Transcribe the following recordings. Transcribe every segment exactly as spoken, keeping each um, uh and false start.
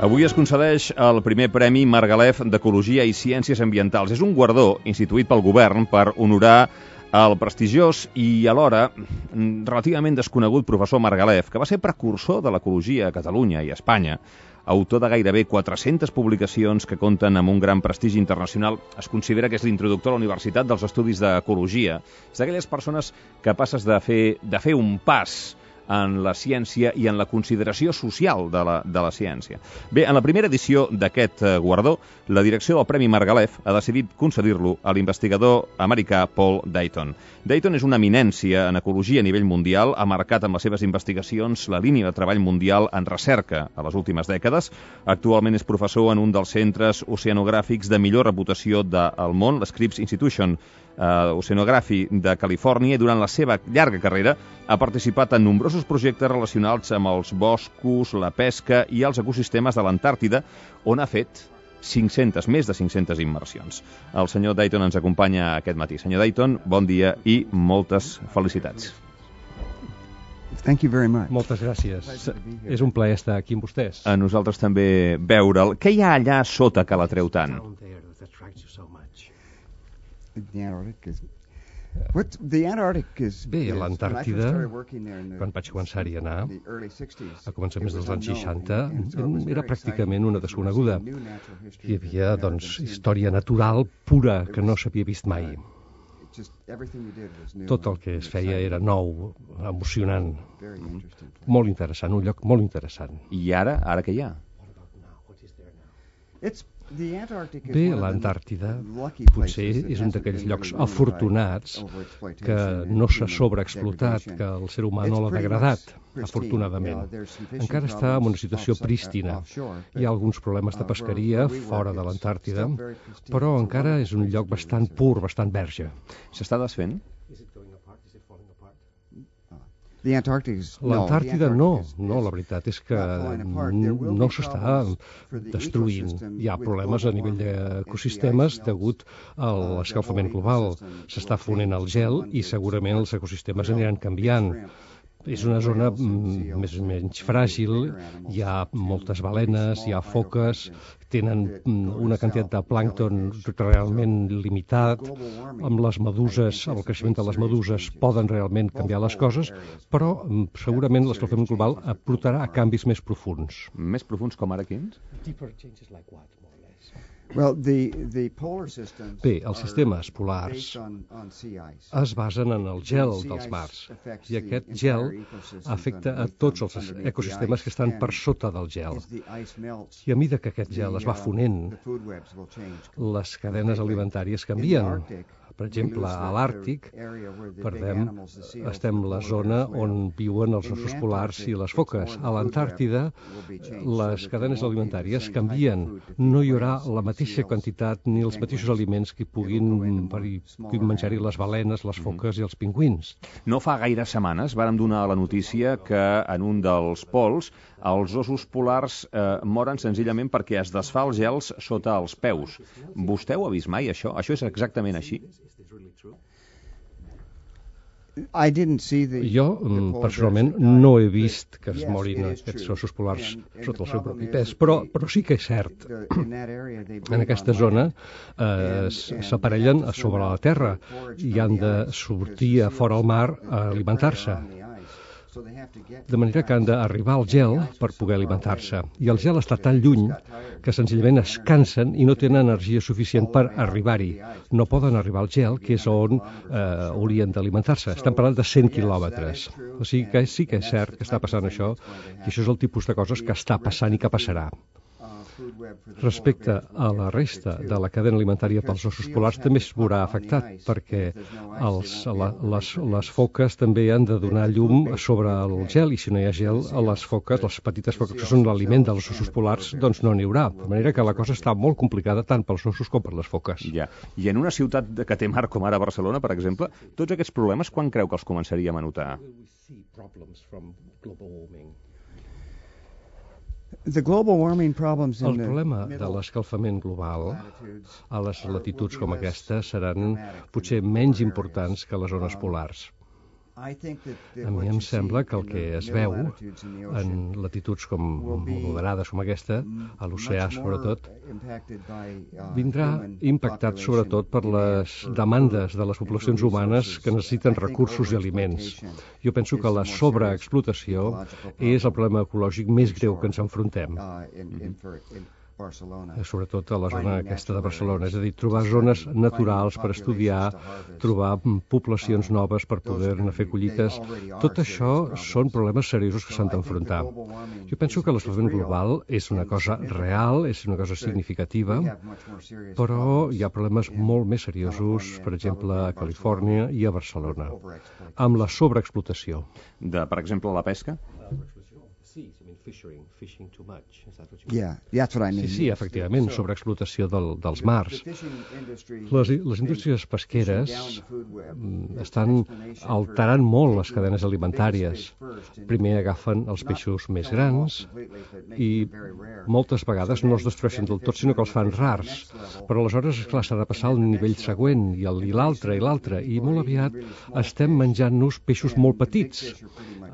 Avui es concedeix el primer Premi Margalef d'Ecologia i Ciències Ambientals. És un guardó instituït pel govern per honorar el prestigiós i alhora relativament desconegut professor Margalef, que va ser precursor de l'ecologia a Catalunya i a Espanya, autor de gairebé quatre-centes publicacions que compten amb un gran prestigi internacional. Es considera que és l'introductor a la Universitat dels Estudis d'Ecologia. És d'aquelles persones capaces de fer, de fer un pas en la ciència i en la consideració social de la, de la ciència. Bé, en la primera edició d'aquest guardó, la direcció del Premi Margalef ha decidit concedir-lo a l'investigador americà Paul Dayton. Dayton és una eminència en ecologia a nivell mundial, ha marcat amb les seves investigacions la línia de treball mundial en recerca a les últimes dècades. Actualment és professor en un dels centres oceanogràfics de millor reputació del món, l'Scripps Institution Uh, Oceanography de Califòrnia, i durant la seva llarga carrera ha participat en nombrosos projectes relacionats amb els boscos, la pesca i els ecosistemes de l'Antàrtida, on ha fet cinc-centes, més de cinc-centes immersions. El senyor Dayton ens acompanya aquest matí. Senyor Dayton, bon dia i moltes felicitats. Thank you very much. Moltes gràcies. És un plaer estar aquí amb vostès. A nosaltres també veure'l. Què hi ha allà sota que l'atreu tant? The Antarctic is... What the Antarctic is... Bé, a l'Antàrtida, quan vaig començar-hi a anar, a començaments dels anys seixanta, era pràcticament una desconeguda. Hi havia, doncs, història natural pura que no s'havia vist mai. Tot el que es feia era nou, emocionant, molt interessant, un lloc molt interessant. I ara, ara què hi ha? Bé, l'Antàrtida potser és un d'aquells llocs afortunats que no s'ha sobreexplotat, que el ser humà no l'ha degradat, afortunadament. Encara està en una situació prístina. Hi ha alguns problemes de pesqueria fora de l'Antàrtida, però encara és un lloc bastant pur, bastant verge. S'està desfent? L'Antàrtida no, no, la veritat és que no s'està destruint. Hi ha problemes a nivell d'ecosistemes degut a l'escalfament global. S'està fonent el gel i segurament els ecosistemes aniran canviant. És una zona més o menys fràgil, hi ha moltes balenes, hi ha foques, tenen una quantitat de plàncton realment limitat, amb les meduses, el creixement de les meduses poden realment canviar les coses, però segurament l'escalfament global aportarà a canvis més profuns. Més profuns com ara quins? Bé, els sistemes polars es basen en el gel dels mars i aquest gel afecta a tots els ecosistemes que estan per sota del gel. I a mesura que aquest gel es va fonent, les cadenes alimentàries canvien. Per exemple, a l'Àrtic, perdem, estem a la zona on viuen els ossos polars i les foques. A l'Antàrtida, les cadenes alimentàries canvien. No hi haurà la mateixa quantitat ni els mateixos aliments que puguin, puguin menjar-hi les balenes, les foques i els pingüins. No fa gaires setmanes vàrem donar la notícia que en un dels pols els ossos polars eh, moren senzillament perquè es desfà els gels sota els peus. Vostè ho ha vist mai, això? Això és exactament així? Jo, personalment, no he vist que es morin aquests ossos polars sota el seu propi pes, però, però sí que és cert. En aquesta zona eh, s'aparellen a sobre la terra i han de sortir a fora al mar a alimentar-se. De manera que han d'arribar al gel per poder alimentar-se. I el gel està tan lluny que senzillament es cansen i no tenen energia suficient per arribar-hi. No poden arribar al gel, que és on eh, haurien d'alimentar-se. Estem parlant de cent quilòmetres. O sigui que sí que és cert que està passant això, i això és el tipus de coses que està passant i que passarà. Respecte a la resta de la cadena alimentària pels ossos polars també es veurà afectat, perquè els, la, les, les foques també han de donar llum sobre el gel, i si no hi ha gel, les foques, les petites foques que són l'aliment dels ossos polars, doncs no n'hi haurà. De manera que la cosa està molt complicada tant pels ossos com per les foques. Ja. I en una ciutat que té mar com ara Barcelona, per exemple, tots aquests problemes quan creu que els començaríem a notar? El problema de l'escalfament global a les latituds com aquesta seran potser menys importants que les zones polars. A mi em sembla que el que es veu en latituds com moderades com aquesta, a l'oceà sobretot, vindrà impactat sobretot per les demandes de les poblacions humanes que necessiten recursos i aliments. Jo penso que la sobreexplotació és el problema ecològic més greu que ens enfrontem. Sobretot a la zona aquesta de Barcelona, és a dir, trobar zones naturals per estudiar, trobar poblacions noves per poder-ne fer collites. Tot això són problemes seriosos que s'han d'enfrontar. Jo penso que l'escalfament global és una cosa real, és una cosa significativa, però hi ha problemes molt més seriosos, per exemple, a Califòrnia i a Barcelona, amb la sobreexplotació. De, per exemple, la pesca? Sí, fishing, fishing too much. Is that what you mean? Yeah, that's what I mean. Sí, sí, efectivament, sobreexplotació del, dels mars. Les, les indústries pesqueres estan alterant molt les cadenes alimentàries. Primer agafen els peixos més grans i moltes vegades no els destrueixen del tot, sinó que els fan rars. Però aleshores, esclar, s'ha de passar al nivell següent, i l'altre, i l'altre, i molt aviat estem menjant-nos peixos molt petits,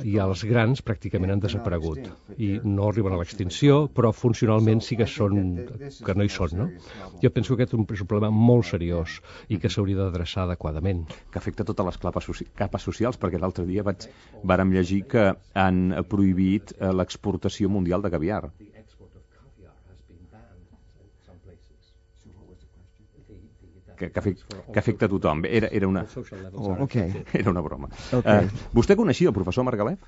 i els grans pràcticament han desaparegut. I no arriben a l'extinció, però funcionalment sí que són, que no hi són, no? Jo penso que aquest és un problema molt seriós i que s'hauria d'adreçar adequadament. Que afecta totes les capes, soci capes socials, perquè l'altre dia vaig, vàrem llegir que han prohibit eh, l'exportació mundial de caviar. Que, que, afecta, que afecta a tothom. Era, era, una, oh, okay. era una broma. Okay. Uh, vostè coneixia el professor Margalef?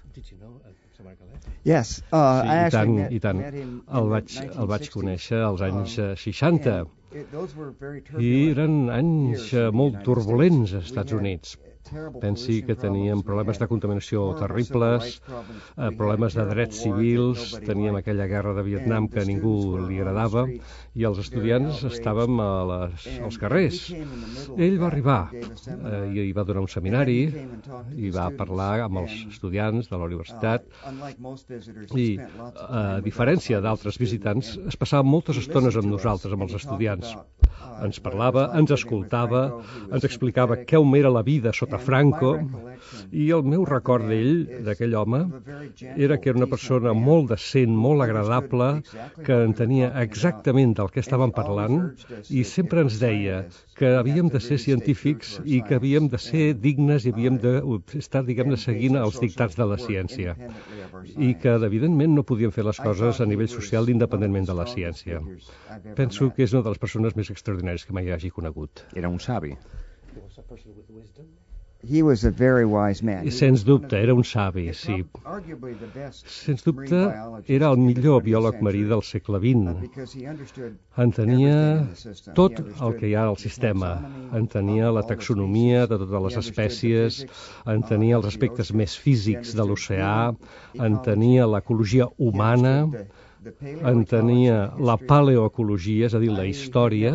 Yes, uh, sí, i tant, i tant. El vaig, el vaig conèixer als anys seixanta i eren anys molt turbulents als Estats Units. Pensi que teníem problemes de contaminació terribles, eh, problemes de drets civils, teníem aquella guerra de Vietnam que a ningú li agradava i els estudiants estàvem a les, als carrers. Ell va arribar eh, i va donar un seminari i va parlar amb els estudiants de la universitat i, a diferència d'altres visitants, es passava moltes estones amb nosaltres, amb els estudiants. Ens parlava, ens escoltava, ens explicava com era la vida sota Franco, i el meu record d'ell, d'aquell home, era que era una persona molt decent, molt agradable, que entenia exactament del que estàvem parlant i sempre ens deia que havíem de ser científics i que havíem de ser dignes i havíem d'estar, diguem-ne, seguint els dictats de la ciència i que, evidentment, no podíem fer les coses a nivell social independentment de la ciència. Penso que és una de les persones més extraordinàries que mai hagi conegut. Era un savi. He was a very wise man. Sens dubte, era un savi, sí. Sens dubte, era el millor biòleg marí del segle vint. Entenia tot el que hi ha al sistema. Entenia la taxonomia de totes les espècies, entenia els aspectes més físics de l'oceà, entenia l'ecologia humana, entenia la paleoecologia, és a dir, la història.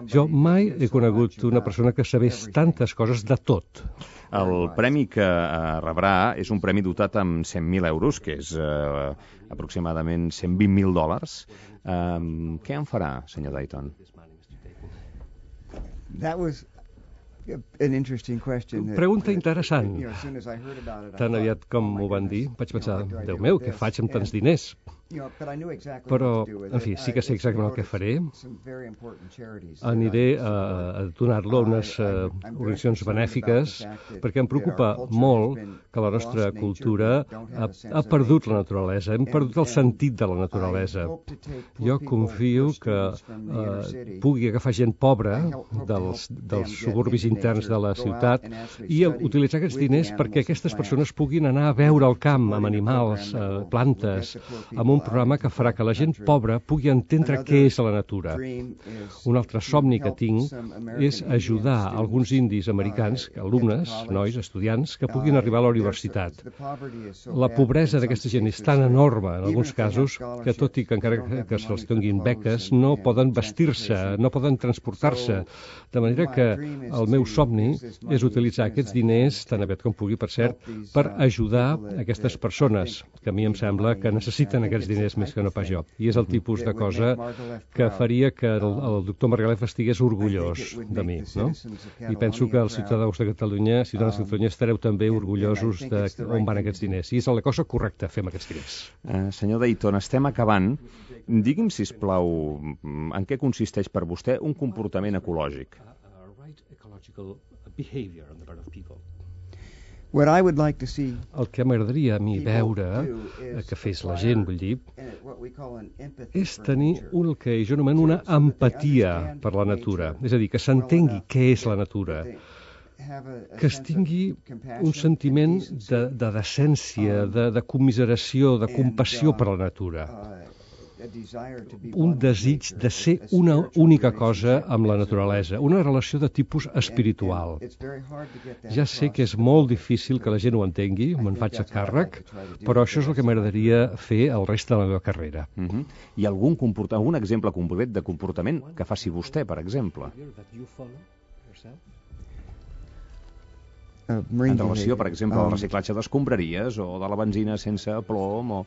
Jo mai he conegut una persona que sabés tantes coses de tot. El premi que eh, rebrà és un premi dotat amb cent mil euros, que és eh, aproximadament cent vint mil dòlars. Eh, què en farà, senyor Dayton? That was an interesting question. Pregunta interessant. Tan aviat com m'ho van dir, vaig pensar, Déu meu, què faig amb tants diners? Però, en fi, sí que sé exactament el que faré. Aniré a, a donar-lo a unes uh, organitzacions benèfiques perquè em preocupa molt que la nostra cultura ha, ha perdut la naturalesa, hem perdut el sentit de la naturalesa. Jo confio que uh, pugui agafar gent pobra dels, dels suburbis interns de la ciutat i utilitzar aquests diners perquè aquestes persones puguin anar a veure el camp amb animals, uh, plantes, amb un programa que farà que la gent pobra pugui entendre què és la natura. Un altre somni que tinc és ajudar alguns indis americans, alumnes, nois, estudiants, que puguin arribar a la universitat. La pobresa d'aquesta gent és tan enorme, en alguns casos, que tot i que encara que se'ls donin beques, no poden vestir-se, no poden transportar-se. De manera que el meu somni és utilitzar aquests diners, tan aviat com pugui, per cert, per ajudar aquestes persones, que a mi em sembla que necessiten aquests diners diners més que no pas jo. I és el tipus de cosa que faria que el, el doctor Margalef estigués orgullós de mi, no? I penso que els ciutadans de Catalunya, ciutadans de Catalunya, estareu també orgullosos de on van aquests diners. I és la cosa correcta, fer amb aquests diners. Uh, senyor Dayton, estem acabant. Digui'm, sisplau, en què consisteix per vostè un comportament ecològic? El que m'agradaria a mi veure, que fes la gent, vull dir, és tenir el que jo anomeno una empatia per la natura. És a dir, que s'entengui què és la natura, que es tingui un sentiment de, de decència, de, de commiseració, de compassió per la natura. Un desig de ser una única cosa amb la naturalesa, una relació de tipus espiritual. Ja sé que és molt difícil que la gent ho entengui, me'n faig a càrrec, però això és el que m'agradaria fer el rest de la meva carrera. Uh-huh. Hi ha algun, comport... algun exemple concret de comportament que faci vostè, per exemple? En relació, per exemple, al reciclatge d'escombraries o de la benzina sense plom o...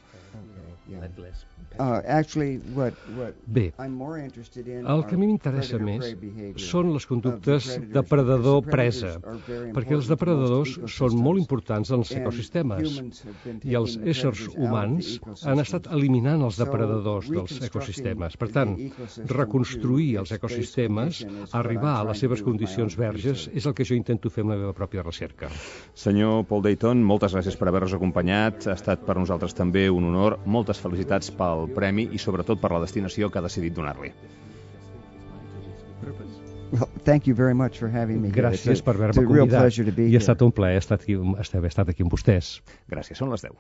Bé, el que a mi m'interessa més són les conductes depredador-presa, perquè els depredadors són molt importants en els ecosistemes i els éssers humans han estat eliminant els depredadors dels ecosistemes. Per tant, reconstruir els ecosistemes, arribar a les seves condicions verges, és el que jo intento fer amb la meva pròpia recerca. Senyor Paul Dayton, moltes gràcies per haver-nos acompanyat. Ha estat per nosaltres també un honor. Moltes felicitats pel premi i sobretot per la destinació que ha decidit donar-li. Well, thank you very much for having me. Gràcies per haver-me convidat. I ha estat un plaer estar aquí, estar aquí amb vostès. Gràcies, són les deu.